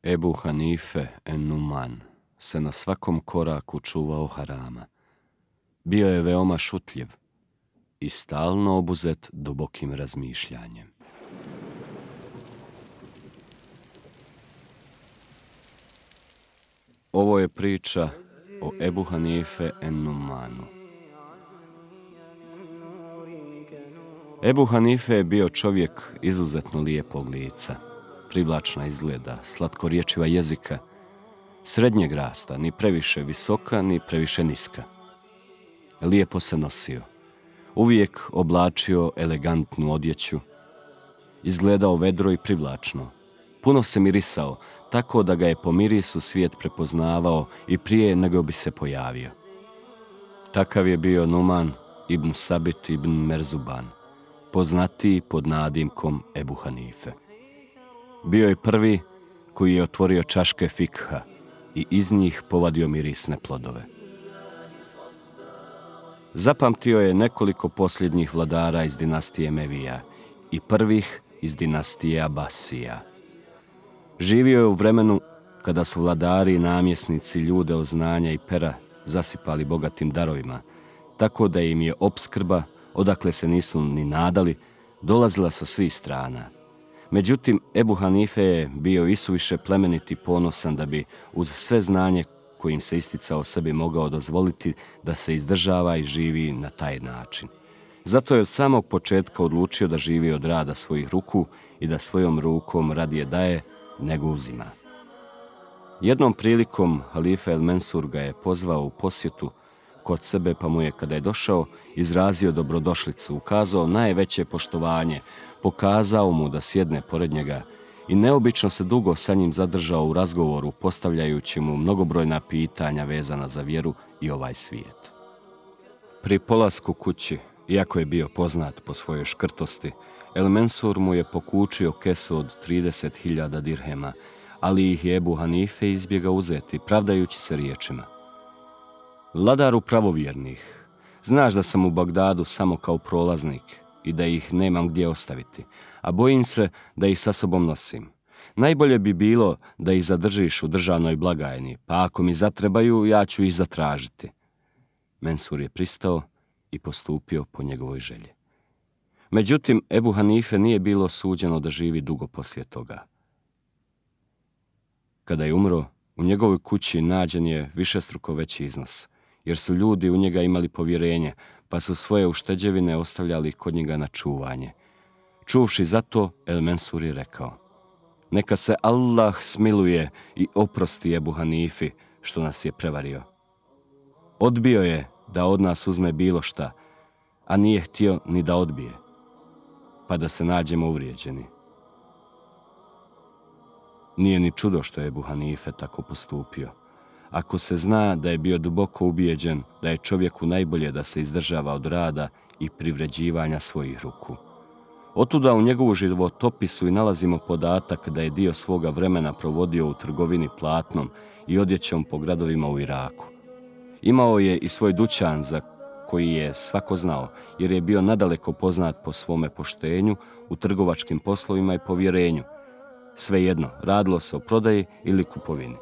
Ebu Hanife en-Numan se na svakom koraku čuvao harama. Bio je veoma šutljiv i stalno obuzet dubokim razmišljanjem. Ovo je priča o Ebu Hanife en-Numanu. Ebu Hanife je bio čovjek izuzetno lijepog lica, privlačna izgleda, slatkorječiva jezika, srednjeg rasta, ni previše visoka, ni previše niska. Lijepo se nosio, uvijek oblačio elegantnu odjeću, izgledao vedro i privlačno. Puno se mirisao, tako da ga je po mirisu svijet prepoznavao i prije nego bi se pojavio. Takav je bio Numan ibn Sabit ibn Merzuban, poznatiji pod nadimkom Ebu Hanife. Bio je prvi koji je otvorio čaške fikha i iz njih povadio mirisne plodove. Zapamtio je nekoliko posljednjih vladara iz dinastije Mevija i prvih iz dinastije Abasija. Živio je u vremenu kada su vladari i namjesnici ljude od znanja i pera zasipali bogatim darovima, tako da im je opskrba, odakle se nisu ni nadali, dolazila sa svih strana. Međutim, Ebu Hanife je bio isuviše plemenit i ponosan da bi uz sve znanje kojim se isticao sebi mogao dozvoliti da se izdržava i živi na taj način. Zato je od samog početka odlučio da živi od rada svojih ruku i da svojom rukom radije daje nego uzima. Jednom prilikom halifa El Mensur ga je pozvao u posjetu kod sebe, pa mu je, kada je došao, izrazio dobrodošlicu, ukazao najveće poštovanje, pokazao mu da sjedne pored njega i neobično se dugo sa njim zadržao u razgovoru, postavljajući mu mnogobrojna pitanja vezana za vjeru i ovaj svijet. Pri polasku kući, iako je bio poznat po svojoj škrtosti, El Mensur mu je pokučio kesu od 30.000 dirhema, ali ih je Ebu Hanife izbjegao uzeti, pravdajući se riječima: Vladaru pravovjernih, znaš da sam u Bagdadu samo kao prolaznik i da ih nemam gdje ostaviti, a bojim se da ih sa sobom nosim. Najbolje bi bilo da ih zadržiš u državnoj blagajni, pa ako mi zatrebaju, ja ću ih zatražiti. Mensur je pristao i postupio po njegovoj želji. Međutim, Ebu Hanife nije bilo suđeno da živi dugo poslije toga. Kada je umro, u njegovoj kući nađen je višestruko veći iznos, jer su ljudi u njega imali povjerenje, pa su svoje ušteđevine ostavljali kod njega na čuvanje. Čuvši za to, El Mensur je rekao: Neka se Allah smiluje i oprosti Ebu Hanifi što nas je prevario. Odbio je da od nas uzme bilo šta, a nije htio ni da odbije, pa da se nađemo uvrijeđeni. Nije ni čudo što je Ebu Hanife tako postupio, ako se zna da je bio duboko ubijeđen da je čovjeku najbolje da se izdržava od rada i privređivanja svojih ruku. Otuda u njegovu životopisu i nalazimo podatak da je dio svoga vremena provodio u trgovini platnom i odjećom po gradovima u Iraku. Imao je i svoj dućan za koji je svako znao, jer je bio nadaleko poznat po svome poštenju u trgovačkim poslovima i povjerenju. Svejedno, radilo se o prodaji ili kupovini.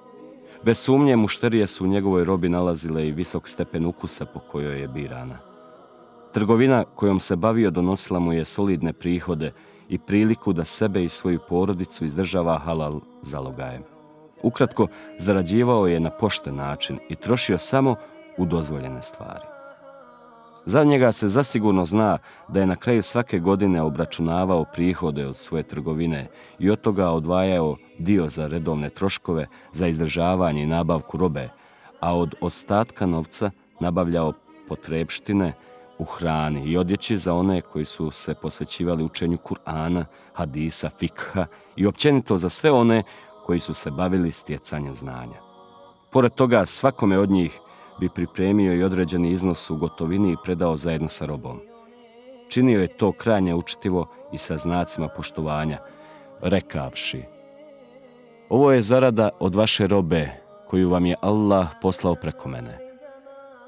Bez sumnje, mušterije su u njegovoj robi nalazile i visok stepen ukusa po kojoj je birana. Trgovina kojom se bavio donosila mu je solidne prihode i priliku da sebe i svoju porodicu izdržava halal zalogajem. Ukratko, zarađivao je na pošten način i trošio samo u dozvoljene stvari. Za njega se zasigurno zna da je na kraju svake godine obračunavao prihode od svoje trgovine i od toga odvajao dio za redovne troškove, za izdržavanje i nabavku robe, a od ostatka novca nabavljao potrepštine u hrani i odjeći za one koji su se posvećivali učenju Kur'ana, hadisa, fikha i općenito za sve one koji su se bavili stjecanjem znanja. Pored toga, svakome od njih bi pripremio i određeni iznos u gotovini i predao zajedno sa robom. Činio je to krajnje učtivo i sa znacima poštovanja, rekavši: Ovo je zarada od vaše robe koju vam je Allah poslao preko mene.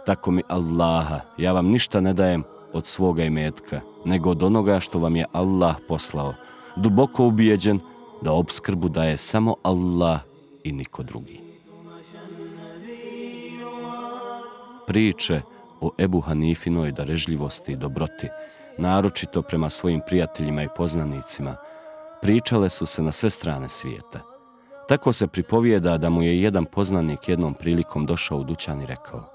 Tako mi Allaha, ja vam ništa ne dajem od svoga imetka, nego od onoga što vam je Allah poslao, duboko ubijeđen da opskrbu daje samo Allah i niko drugi. Priče o Ebu Hanifinoj darežljivosti i dobroti, naročito prema svojim prijateljima i poznanicima, pričale su se na sve strane svijeta. Tako se pripovijeda da mu je jedan poznanik jednom prilikom došao u dućan i rekao: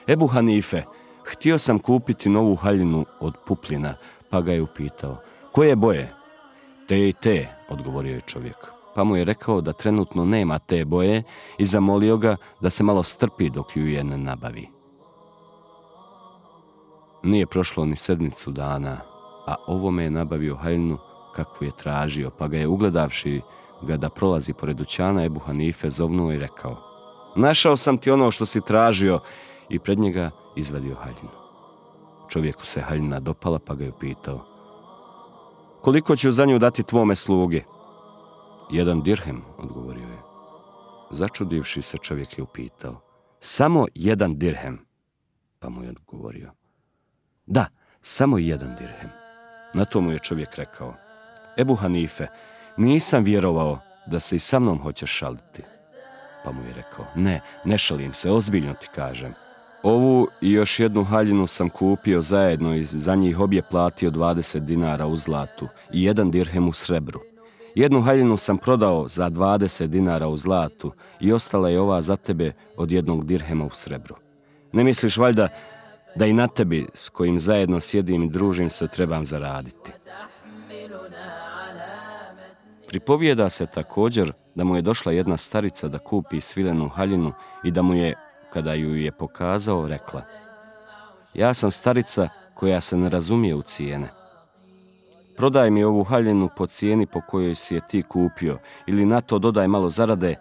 Ebu Hanife, htio sam kupiti novu haljinu od pupljina, pa ga je upitao: koje boje? Te i te, odgovorio je čovjek. Pa mu je rekao da trenutno nema te boje i zamolio ga da se malo strpi dok ju je ne nabavi. Nije prošlo ni sedmicu dana, a ovome je nabavio haljinu kakvu je tražio, pa ga je, ugledavši ga da prolazi pored dućana, Ebu Hanife zovnuo i rekao: našao sam ti ono što si tražio, i pred njega izvadio haljinu. Čovjeku se haljina dopala, pa ga je upitao: koliko ću za nju dati tvome sluge? 1 dirhem, odgovorio je. Začudivši se, čovjek je upitao: samo 1 dirhem? Pa mu je odgovorio: da, samo 1 dirhem. Na to mu je čovjek rekao: Ebu Hanife, nisam vjerovao da se i sa mnom hoćeš šaliti. Pa mu je rekao: ne šalim se, ozbiljno ti kažem. Ovu i još 1 haljinu sam kupio zajedno i za njih obje platio 20 dinara u zlatu i 1 dirhem u srebru. 1 haljinu sam prodao za 20 dinara u zlatu i ostala je ova za tebe od 1 dirhema u srebru. Ne misliš valjda da i na tebi, s kojim zajedno sjedim i družim se, trebam zaraditi? Pripovijeda se također da mu je došla jedna starica da kupi svilenu haljinu i da mu je, kada ju je pokazao, rekla: ja sam starica koja se ne razumije u cijene. Prodaj mi ovu haljinu po cijeni po kojoj si je ti kupio, ili na to dodaj malo zarade,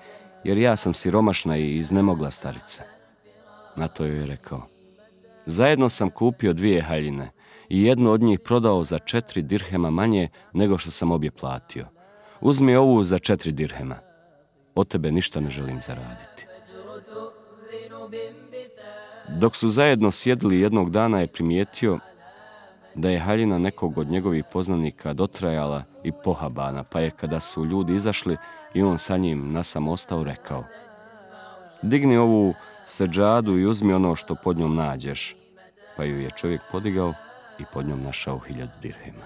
jer ja sam siromašna i iznemogla starica. Na to joj je rekao: zajedno sam kupio 2 haljine i 1 od njih prodao za 4 dirhema manje nego što sam obje platio. Uzmi ovu za 4 dirhema. Od tebe ništa ne želim zaraditi. Dok su zajedno sjedili, jednog dana je primijetio da je haljina nekog od njegovih poznanika dotrajala i pohabana, pa je, kada su ljudi izašli i on sa njim nasam ostao, rekao: digni ovu seđadu i uzmi ono što pod njom nađeš. Pa ju je čovjek podigao i pod njom našao 1000 dirhema.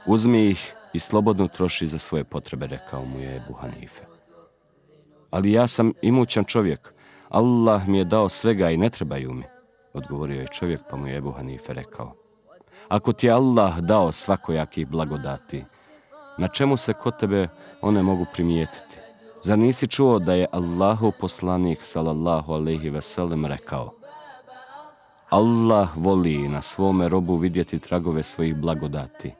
Uzmi ih i slobodno troši za svoje potrebe, rekao mu je Ebu Hanife. Ali ja sam imućan čovjek, Allah mi je dao svega i ne trebaju mi, odgovorio je čovjek, pa mu je Ebu Hanife rekao: ako ti je Allah dao svakojakih blagodati, na čemu se kod tebe one mogu primijetiti? Zar nisi čuo da je Allahov poslanik sallallahu alejhi ve sellem rekao: Allah voli na svome robu vidjeti tragove svojih blagodati.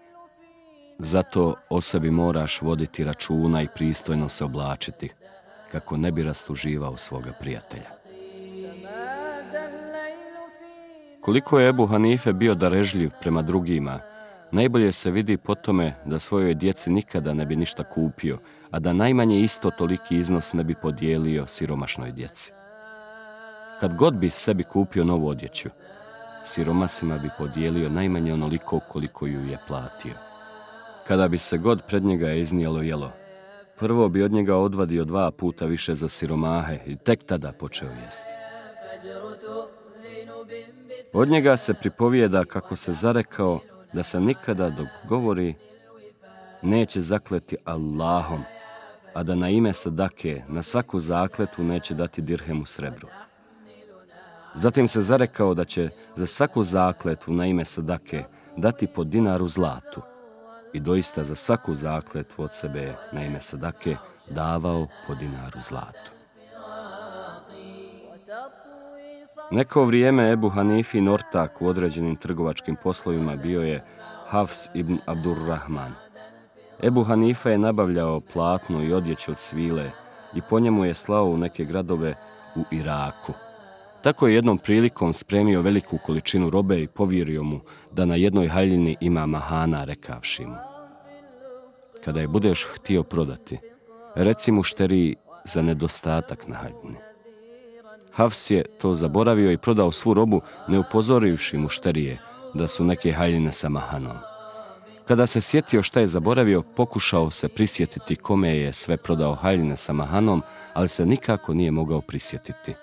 Zato o sebi moraš voditi računa i pristojno se oblačiti, kako ne bi rastuživao svoga prijatelja. Koliko je Ebu Hanife bio darežljiv prema drugima, najbolje se vidi po tome da svojoj djeci nikada ne bi ništa kupio, a da najmanje isto toliki iznos ne bi podijelio siromašnoj djeci. Kad god bi sebi kupio novu odjeću, siromasima bi podijelio najmanje onoliko koliko ju je platio. Kada bi se god pred njega iznijelo jelo, prvo bi od njega odvadio 2 puta više za siromahe i tek tada počeo jesti. Od njega se pripovijeda kako se zarekao da se nikada dok govori neće zakleti Allahom, a da na ime sadake na svaku zakletvu neće dati dirhem u srebru. Zatim se zarekao da će za svaku zakletvu na ime sadake dati po dinaru zlatu, i doista za svaku zakletvu od sebe na ime sadake davao po dinaru zlatu. Neko vrijeme Ebu Hanifin ortak u određenim trgovačkim poslovima bio je Hafs ibn Abdurrahman. Ebu Hanife je nabavljao platno i odjeću od svile i po njemu je slao u neke gradove u Iraku. Tako je jednom prilikom spremio veliku količinu robe i povjerio mu da na jednoj haljini ima mahana, rekavši mu: kada je budeš htio prodati, reci mušteriji za nedostatak na haljini. Hafs je to zaboravio i prodao svu robu, ne upozorivši mušterije da su neke haljine sa mahanom. Kada se sjetio šta je zaboravio, pokušao se prisjetiti kome je sve prodao haljine sa mahanom, ali se nikako nije mogao prisjetiti.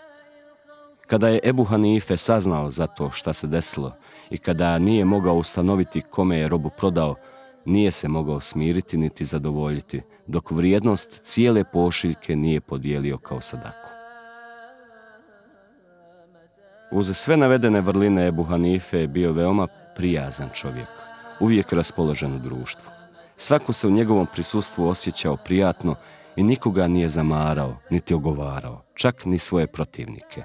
Kada je Ebu Hanife saznao za to šta se desilo i kada nije mogao ustanoviti kome je robu prodao, nije se mogao smiriti niti zadovoljiti, dok vrijednost cijele pošiljke nije podijelio kao sadaku. Uz sve navedene vrline Ebu Hanife je bio veoma prijazan čovjek, uvijek raspoložen u društvu. Svako se u njegovom prisustvu osjećao prijatno i nikoga nije zamarao, niti ogovarao, čak ni svoje protivnike.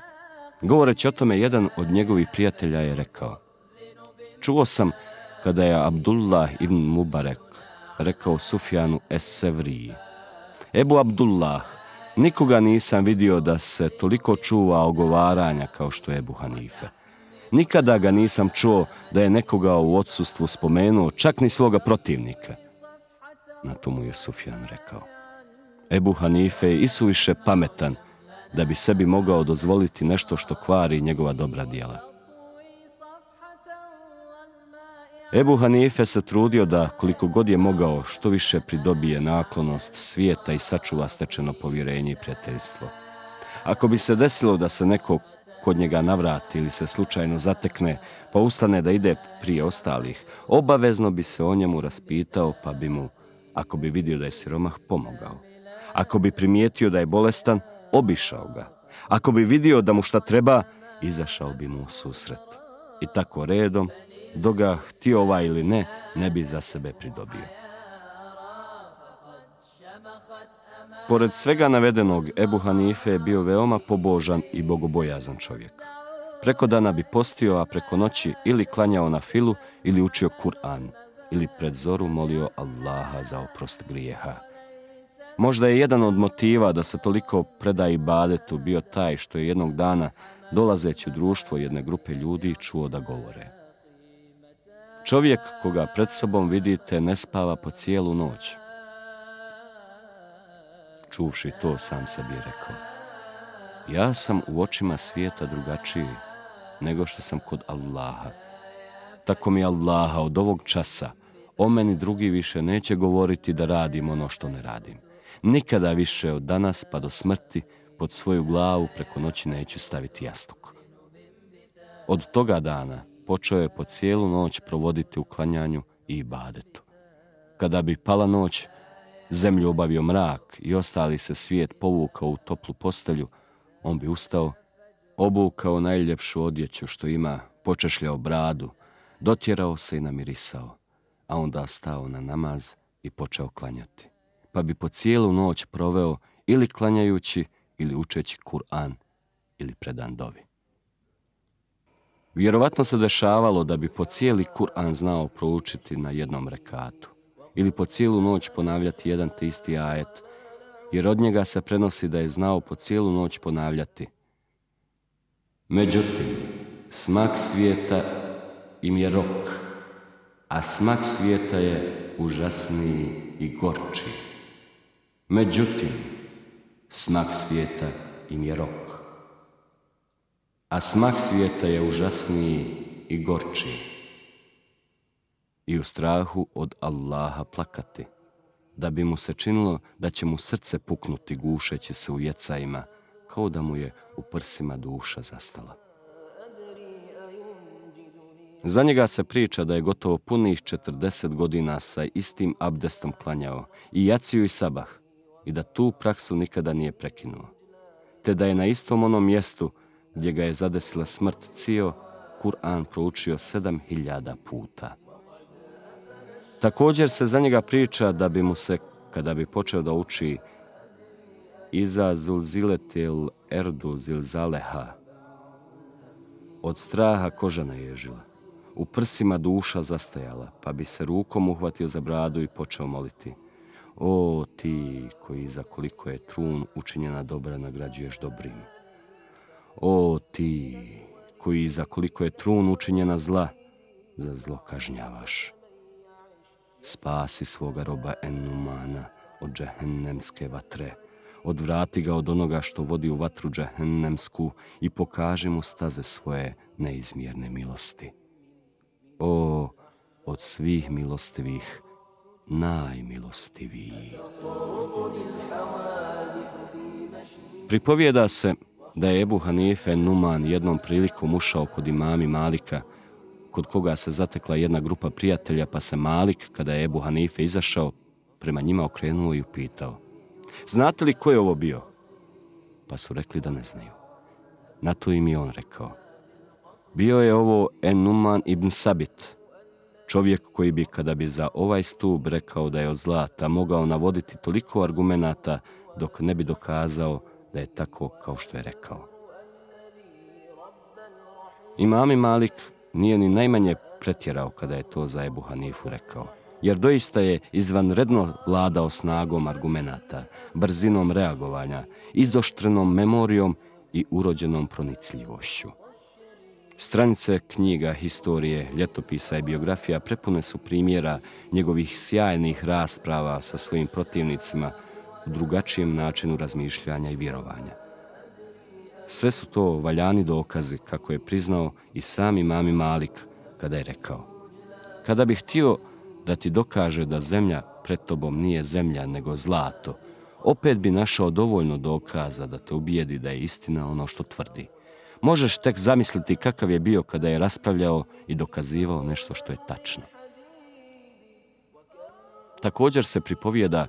Govoreći o tome, jedan od njegovih prijatelja je rekao: čuo sam kada je Abdullah ibn Mubarek rekao Sufjanu es-Sevriji: Ebu Abdullah, nikoga nisam vidio da se toliko čuva ogovaranja kao što je Ebu Hanife. Nikada ga nisam čuo da je nekoga u odsustvu spomenuo, čak ni svoga protivnika. Na to mu je Sufjan rekao: Ebu Hanife je isuviše pametan da bi sebi mogao dozvoliti nešto što kvari njegova dobra djela. Ebu Hanife se trudio da, koliko god je mogao, što više pridobije naklonost svijeta i sačuva stečeno povjerenje i prijateljstvo. Ako bi se desilo da se neko kod njega navrati ili se slučajno zatekne, pa ustane da ide prije ostalih, obavezno bi se o njemu raspitao, pa bi mu, ako bi vidio da je siromah, pomogao. Ako bi primijetio da je bolestan, obišao ga. Ako bi vidio da mu šta treba, izašao bi mu u susret. I tako redom, dok ga htio ovaj ili ne bi za sebe pridobio. Pored svega navedenog, Ebu Hanife je bio veoma pobožan i bogobojazan čovjek. Preko dana bi postio, a preko noći ili klanjao na filu, ili učio Kur'an, ili pred zoru molio Allaha za oprost grijeha. Možda je jedan od motiva da se toliko preda ibadetu bio taj što je jednog dana, dolazeći u društvo jedne grupe ljudi, čuo da govore: čovjek koga pred sobom vidite ne spava po cijelu noć. Čuvši to, sam sebi rekao: ja sam u očima svijeta drugačiji nego što sam kod Allaha. Tako mi Allaha, od ovog časa o meni drugi više neće govoriti da radim ono što ne radim. Nikada više od danas pa do smrti pod svoju glavu preko noći neću staviti jastuk. Od toga dana počeo je po cijelu noć provoditi u klanjanju i ibadetu. Kada bi pala noć, zemlju obavio mrak i ostali se svijet povukao u toplu postelju, on bi ustao, obukao najljepšu odjeću što ima, počešljao bradu, dotjerao se i namirisao, a onda stao na namaz i počeo klanjati. Pa bi po cijelu noć proveo ili klanjajući, ili učeći Kur'an, ili predan dovi. Vjerovatno se dešavalo da bi po cijeli Kur'an znao proučiti na jednom rekatu, ili po cijelu noć ponavljati jedan te isti ajet, jer od njega se prenosi da je znao po cijelu noć ponavljati: međutim, smak svijeta im je rok, a smak svijeta je užasniji i gorči. Međutim, smak svijeta im je rok, a smak svijeta je užasniji i gorči. I u strahu od Allaha plakati, da bi mu se činilo da će mu srce puknuti gušeći se u jecajima, kao da mu je u prsima duša zastala. Za njega se priča da je gotovo punih 40 godina sa istim abdestom klanjao i jaciju i sabah, i da tu praksu nikada nije prekinuo, te da je na istom onom mjestu gdje ga je zadesila smrt cijel Kur'an proučio 7000 puta. Također se za njega priča da bi mu se, kada bi počeo da uči Iza zulziletil erdu zilzaleha, od straha koža naježila, u prsima duša zastajala, pa bi se rukom uhvatio za bradu i počeo moliti: o ti koji za koliko je trun učinjena dobra nagrađuješ dobrim. O ti koji za koliko je trun učinjena zla, za zlo kažnjavaš. Spasi svoga roba Ennumana od džehennemske vatre, odvrati ga od onoga što vodi u vatru džehennemsku i pokaži mu staze svoje neizmjerne milosti. O, od svih milostivih najmilostiviji. Pripovijeda se da je Ebu Hanife Numan jednom prilikom ušao kod imami Malika, kod koga se zatekla jedna grupa prijatelja, pa se Malik, kada je Ebu Hanife izašao, prema njima okrenuo i upitao: znate li ko je ovo bio? Pa su rekli da ne znaju. Na to im je on rekao: bio je ovo Numan ibn Sabit, čovjek koji bi, kada bi za ovaj stup rekao da je od zlata, mogao navoditi toliko argumenata dok ne bi dokazao da je tako kao što je rekao. Imam Malik nije ni najmanje pretjerao kada je to za Ebu Hanifu rekao, jer doista je izvanredno vladao snagom argumenata, brzinom reagovanja, izoštrenom memorijom i urođenom pronicljivošću. Stranice knjiga, historije, ljetopisa i biografija prepune su primjera njegovih sjajnih rasprava sa svojim protivnicima u drugačijem načinu razmišljanja i vjerovanja. Sve su to valjani dokazi, kako je priznao i sam imam Malik kada je rekao: kada bih htio da ti dokaže da zemlja pred tobom nije zemlja nego zlato, opet bi našao dovoljno dokaza da te ubijedi da je istina ono što tvrdi. Možeš tek zamisliti kakav je bio kada je raspravljao i dokazivao nešto što je tačno. Također se pripovijeda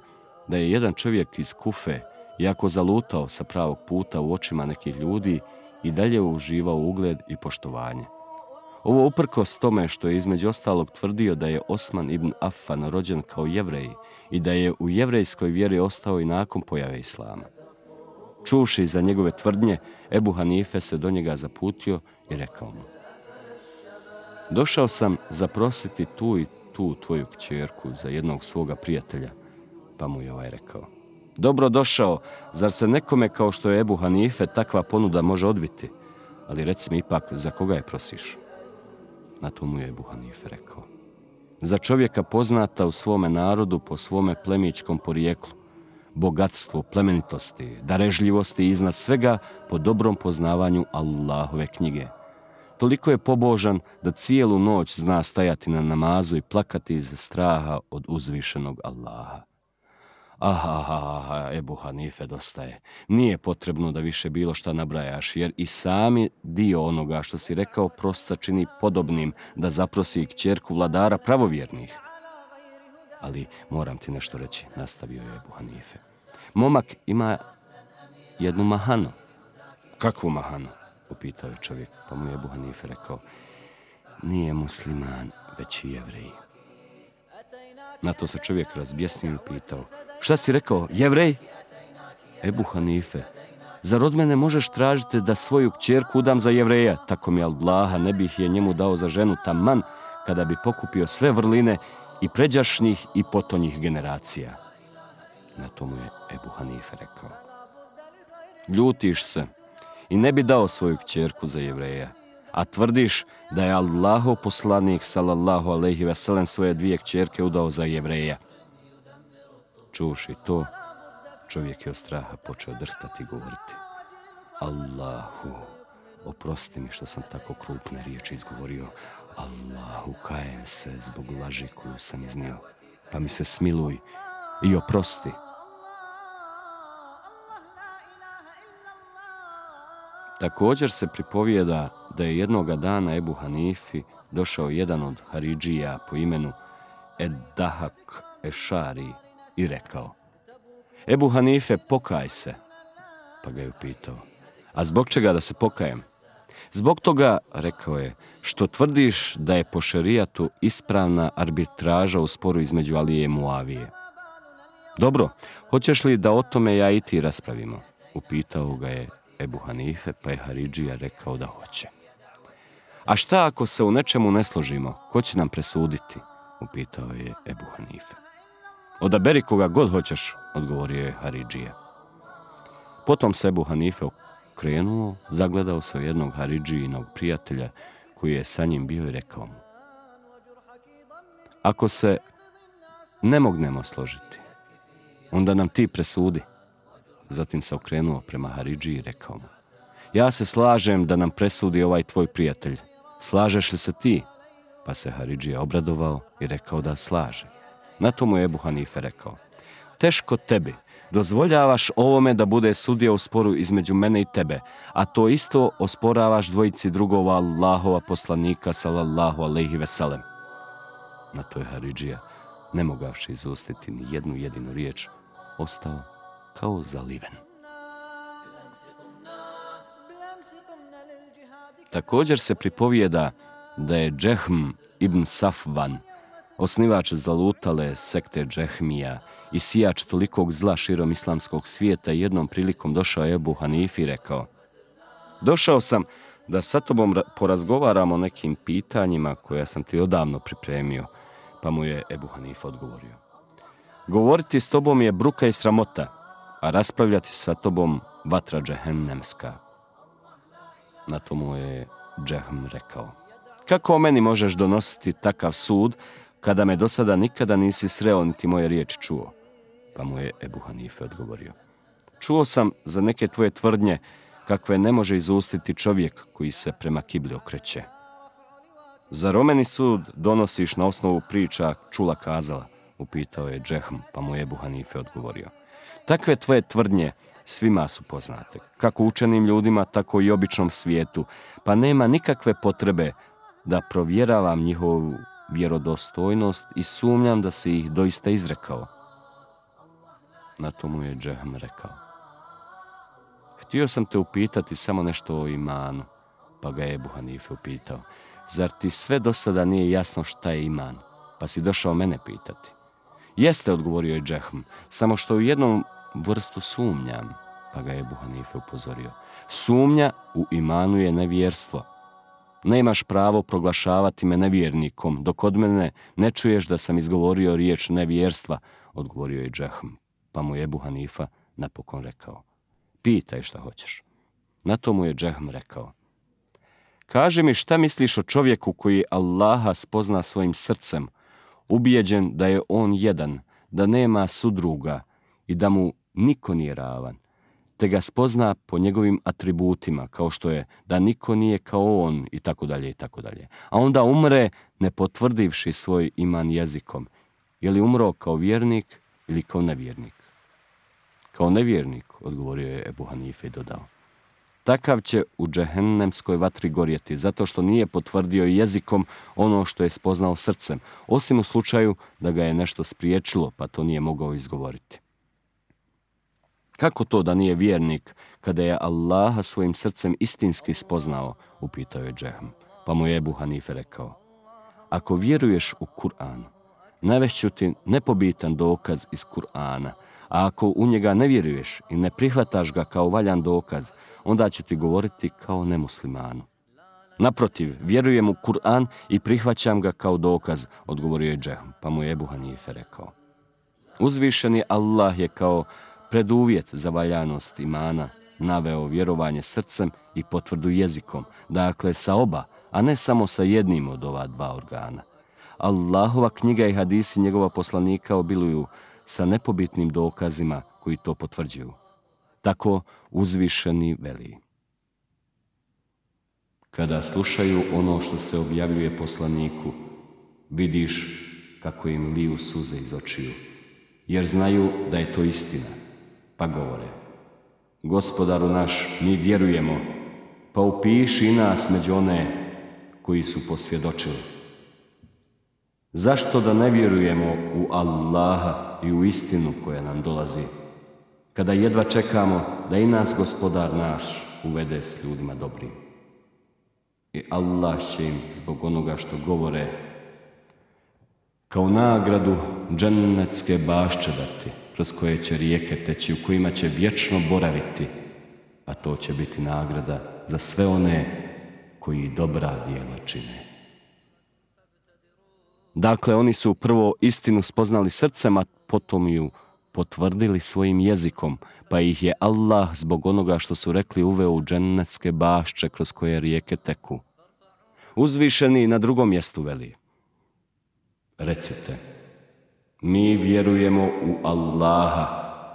da je jedan čovjek iz Kufe, iako zalutao sa pravog puta u očima nekih ljudi, i dalje uživao ugled i poštovanje. Ovo uprkos tome što je između ostalog tvrdio da je Osman ibn Affan rođen kao Jevrej i da je u jevrejskoj vjeri ostao i nakon pojave islama. Čuvši za njegove tvrdnje, Ebu Hanife se do njega zaputio i rekao mu: došao sam zaprositi tu i tu tvoju kćerku za jednog svoga prijatelja. Pa mu je ovaj rekao: dobro došao, zar se nekome kao što je Ebu Hanife takva ponuda može odbiti? Ali reci mi ipak, za koga je prosiš? Na to mu je Ebu Hanife rekao: za čovjeka poznata u svome narodu po svome plemićkom porijeklu, bogatstvu, plemenitosti, darežljivosti i iznad svega po dobrom poznavanju Allahove knjige. Toliko je pobožan da cijelu noć zna stajati na namazu i plakati iz straha od uzvišenog Allaha. Aha, Ebu Hanife, dosta je. Nije potrebno da više bilo šta nabrajaš, jer i sami dio onoga što si rekao prosca čini podobnim da zaprosi kćerku vladara pravovjernih. Ali moram ti nešto reći, nastavio je Ebu Hanife. Momak ima jednu mahanu. Kakvu mahanu? Upitao je čovjek, pa mu je Ebu Hanife rekao: nije musliman, već i Jevrej. Na to se čovjek razbjesnio i pitao: šta si rekao, Jevrej? Ebu Hanife, zar od mene možeš tražiti da svoju kćerku udam za Jevreja? Tako mi Allaha, ne bih je njemu dao za ženu taman kada bi pokupio sve vrline i pređašnjih i potonjih generacija. Na to mu je Ebu Hanife rekao: ljutiš se i ne bi dao svoju kćerku za Jevreja, a tvrdiš da je Allahov poslanik sallallahu alejhi ve sellem svoje dvije kćerke udao za Jevreja. Čuvši to, čovjek je od straha počeo drhtati i govoriti: Allahu, oprosti mi što sam tako krupne riječi izgovorio. Allahu, kajem se zbog laži koju sam iznio, pa mi se smiluj i oprosti. Također se pripovijeda da je jednoga dana Ebu Hanifi došao jedan od Haridžija po imenu Ed-Dahak Ešari i rekao: Ebu Hanife, pokaj se. Pa ga je upitao: a zbog čega da se pokajem? Zbog toga, rekao je, što tvrdiš da je po šerijatu ispravna arbitraža u sporu između Alije i Muavije. Dobro, hoćeš li da o tome ja i ti raspravimo? Upitao ga je Ebu Hanife, pa je Haridžija rekao da hoće. A šta ako se u nečemu ne složimo, ko će nam presuditi? Upitao je Ebu Hanife. Odaberi koga god hoćeš, odgovorio je Haridžija. Potom se Ebu Hanife okrenuo, zagledao se u jednog Haridžijinog prijatelja koji je sa njim bio i rekao mu: ako se ne mognemo složiti, onda nam ti presudi. Zatim se okrenuo prema Haridžiji i rekao mu: ja se slažem da nam presudi ovaj tvoj prijatelj. Slažeš li se ti? Pa se Haridžija obradovao i rekao da slaže. Na to mu je Ebu Hanife rekao: teško tebi, dozvoljavaš ovome da bude sudija u sporu između mene i tebe, a to isto osporavaš dvojici drugova Allahova poslanika sallallahu alejhi ve sellem. Na to je Haridžija, ne mogavši izustiti ni jednu jedinu riječ, ostao kao zaliven. Također se pripovijeda da je Džehm ibn Safvan, osnivač zalutale sekte Džehmija i sijač tolikog zla širom islamskog svijeta, jednom prilikom došao Ebu Hanifi i rekao: došao sam da sa tobom porazgovaramo o nekim pitanjima koja sam ti odavno pripremio. Pa mu je Ebu Hanife odgovorio: govoriti s tobom je bruka i sramota, a raspravljati sa tobom vatra džehennemska. Na to mu je Džehm rekao: kako o meni možeš donositi takav sud, kada me do sada nikada nisi sreo niti moje riječi čuo? Pa mu je Ebu Hanife odgovorio: čuo sam za neke tvoje tvrdnje, kakve ne može izustiti čovjek koji se prema kibli okreće. Zar o meni sud donosiš na osnovu priča čula kazala? Upitao je Džehm, pa mu je Ebu Hanife odgovorio: takve tvoje tvrdnje svima su poznate, kako učenim ljudima, tako i običnom svijetu, pa nema nikakve potrebe da provjeravam njihovu vjerodostojnost i sumnjam da si ih doista izrekao. Na to mu je Džehm rekao: htio sam te upitati samo nešto o imanu. Pa ga je Ebu Hanife upitao: zar ti sve do sada nije jasno šta je iman, pa si došao mene pitati? Jeste, odgovorio je Džehm, samo što u jednom vrstu sumnjam. Pa ga je Ebu Hanife upozorio: sumnja u imanu je nevjerstvo. Nemaš pravo proglašavati me nevjernikom, dok od mene ne čuješ da sam izgovorio riječ nevjerstva, odgovorio je Džehm. Pa mu je Ebu Hanifa napokon rekao: pitaj šta hoćeš. Na to mu je Džehm rekao: kaži mi šta misliš o čovjeku koji Allaha spozna svojim srcem, ubijeđen da je on jedan, da nema sudruga i da mu niko nije ravan, te ga spozna po njegovim atributima, kao što je da niko nije kao on i tako dalje i tako dalje. A onda umre ne potvrdivši svoj iman jezikom. Je li umro kao vjernik ili kao nevjernik? Kao nevjernik, odgovorio je Ebu Hanife i dodao: takav će u džehennemskoj vatri gorjeti, zato što nije potvrdio jezikom ono što je spoznao srcem, osim u slučaju da ga je nešto spriječilo, pa to nije mogao izgovoriti. Kako to da nije vjernik, kada je Allaha svojim srcem istinski spoznao? Upitao je Džehm. Pa mu je Ebu Hanife rekao: ako vjeruješ u Kur'an, navešću ti nepobitan dokaz iz Kur'ana, a ako u njega ne vjeruješ i ne prihvataš ga kao valjan dokaz, onda ću ti govoriti kao nemuslimanu. Naprotiv, vjerujem u Kur'an i prihvaćam ga kao dokaz, odgovorio je Džehm. Pa mu je Ebu Hanife rekao: uzvišeni Allah je kao preduvjet za valjanost imana naveo vjerovanje srcem i potvrdu jezikom, dakle sa oba, a ne samo sa jednim od ova dva organa. Allahova knjiga i hadisi njegova poslanika obiluju sa nepobitnim dokazima koji to potvrđuju. Tako uzvišeni veli: kada slušaju ono što se objavljuje poslaniku, vidiš kako im liju suze iz očiju, jer znaju da je to istina, pa govore: Gospodaru naš, mi vjerujemo, pa upiši i nas među one koji su posvjedočili. Zašto da ne vjerujemo u Allaha i u istinu koja nam dolazi, kada jedva čekamo da i nas Gospodar naš uvede s ljudima dobrim? I Allah će im zbog onoga što govore kao nagradu džennetske bašče dati, kroz koje će rijeke teći, u kojima će vječno boraviti, a to će biti nagrada za sve one koji dobra djela čine. Dakle, oni su prvo istinu spoznali srcem, a potom ju potvrdili svojim jezikom, pa ih je Allah zbog onoga što su rekli uveo u džennetske bašče kroz koje rijeke teku. Uzvišeni na drugom mjestu veli: recite, mi vjerujemo u Allaha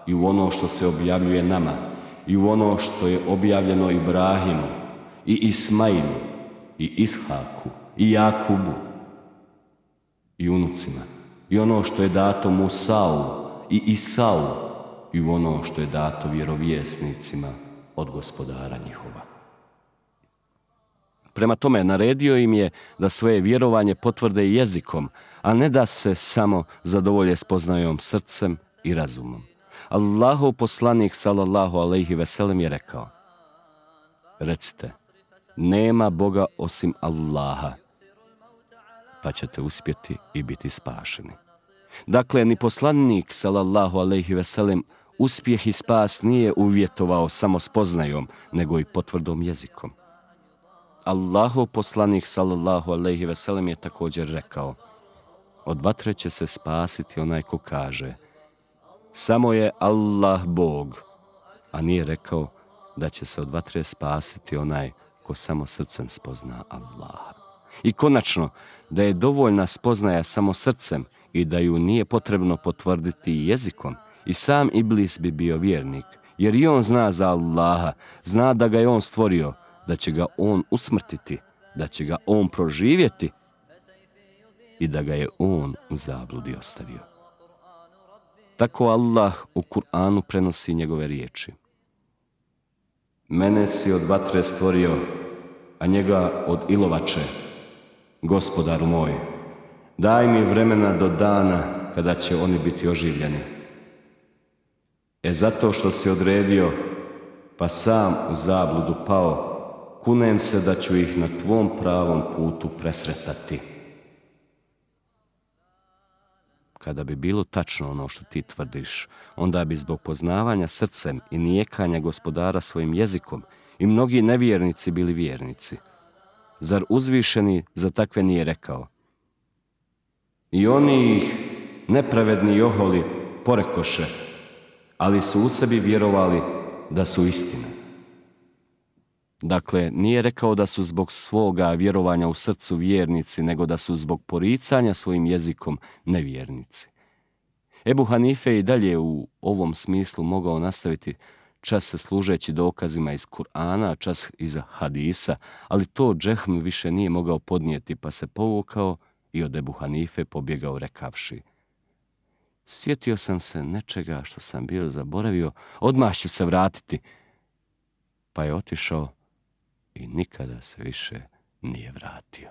i u ono što se objavljuje nama i u ono što je objavljeno Ibrahimu i Ismailu i Ishaku i Jakubu i unucima, i ono što je dato Musau i Isau, i u ono što je dato vjerovjesnicima od Gospodara njihova. Prema tome, naredio im je da svoje vjerovanje potvrde jezikom, a ne da se samo zadovolje spoznajom srcem i razumom. Allahov poslanik sallallahu alejhi ve sellem je rekao: recite, nema Boga osim Allaha, pa ćete uspjeti i biti spašeni. Dakle, ni poslanik sallallahu alejhi ve sellem uspjeh i spas nije uvjetovao samo spoznajom, nego i potvrdom jezikom. Allahov poslanik sallallahu alejhi ve sellem je također rekao: od vatre će se spasiti onaj ko kaže samo je Allah Bog, a nije rekao da će se od vatre spasiti onaj ko samo srcem spozna Allaha. I konačno, da je dovoljna spoznaja samo srcem i da ju nije potrebno potvrditi jezikom, i sam Iblis bi bio vjernik, jer i on zna za Allaha, zna da ga je on stvorio, da će ga on usmrtiti, da će ga on proživjeti i da ga je on u zabludi ostavio. Tako Allah u Kur'anu prenosi njegove riječi: mene si od vatre stvorio, a njega od ilovače. Gospodaru moj, daj mi vremena do dana kada će oni biti oživljeni. Zato što si odredio, pa sam u zabludu pao, kunem se da ću ih na tvom pravom putu presretati. Kada bi bilo tačno ono što ti tvrdiš, onda bi zbog poznavanja srcem i nijekanja Gospodara svojim jezikom i mnogi nevjernici bili vjernici. Zar uzvišeni za takve nije rekao: i oni ih, nepravedni joholi, porekoše, ali su u sebi vjerovali da su istina. Dakle, nije rekao da su zbog svoga vjerovanja u srcu vjernici, nego da su zbog poricanja svojim jezikom nevjernici. Ebu Hanife je i dalje u ovom smislu mogao nastaviti, čas se služeći dokazima iz Kur'ana, čas iz hadisa, ali to Džehm više nije mogao podnijeti, pa se povukao i od Ebu Hanife pobjegao rekavši: sjetio sam se nečega što sam bio zaboravio, odmah ću se vratiti. Pa je otišao i nikada se više nije vratio.